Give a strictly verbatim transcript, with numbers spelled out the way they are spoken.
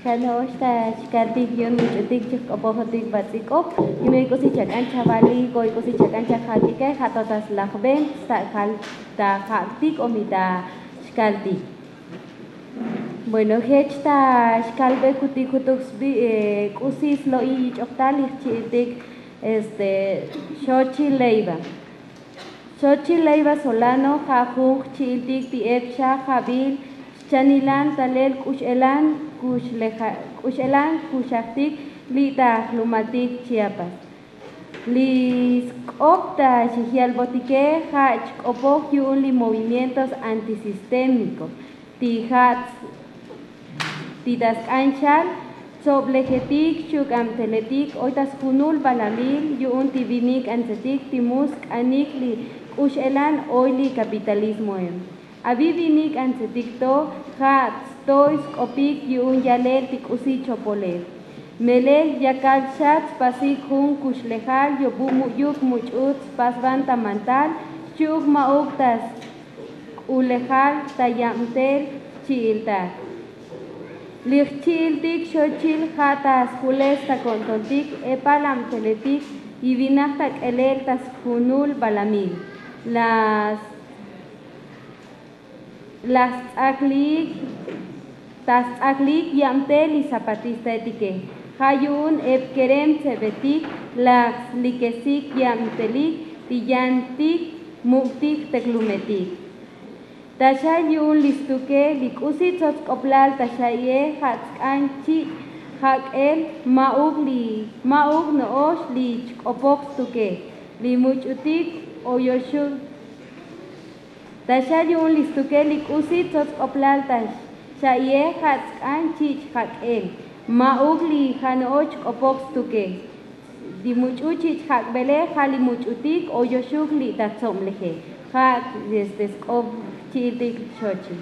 Kano'ox ta xkaltik yu'un much'utik chijk'opojotik bats'ik'op. Yume k'usi chak'an chavalik o k'usi chak'an chajak'ike ja' to ta slajben stak'al ta jak'tik o mi ta xkaltik. Bueno, jech ta xkalbe kutik jutuk sbi k'usi slo'i yich'ojtal li jchi'iltik este xochi leiva. Xochi leiva solano ja' jun jchi'iltik ti epxa jabil xchanilan talel k'ux'elan k'ux'elan kuxajtik li' ta jlumaltik chiapas. Li sk'op ta xijyalbotike ja' chk'opoj yu'un li movimientos antisistémikos ti ja' ti ta sk'an chal tsoblejetik xchuk'abteletik oy ta sjunul balamil yu'un ti vinik antsetik ti mu sk'anik li k'ux'elan oy li kapitalismoe. Avi vinik antsetik to ja' tstoy sk'opik yu'un yalel ti k'usi chopolel. Melel yakal xa tspasik jun kuxlejal yobu mu'yuk much'ut spasban ta mantal xchi'uk ma'uk ta sk'ulejal ta yabtel xchi'iltak. Li jchi'iltik xochil ja' ta sjules ta ko'ntontik epal abteletik y vinaj ta k'elel ta sjunul balamil. Las laj sts'aklik ta sts'aklik yabtel li zapatistaetike ja' yu'un ep kerem tsebetik laj slikesik yabtelik ti yantik muk'tik jteklumetik. Ta xa yu'un li stuke li k'usi tsots k'oplal ta xa'i'e ja' tsk'an chich' jak'el ma'uk li ma'uk no'ox li chk'opoj stuke li much'utik oyoxuk. Ta xa yu'un li stukel li k'usi tsots k'oplal ta xa'i'e ja' tsk'an chich' jak'el ma'uk li ja' no'ox chk'opoj stuke. Li much'u chich' jak'bele ja' li much'utik oyoxuk li ta tsobleje ja' este sk'op chi'iltik xochi.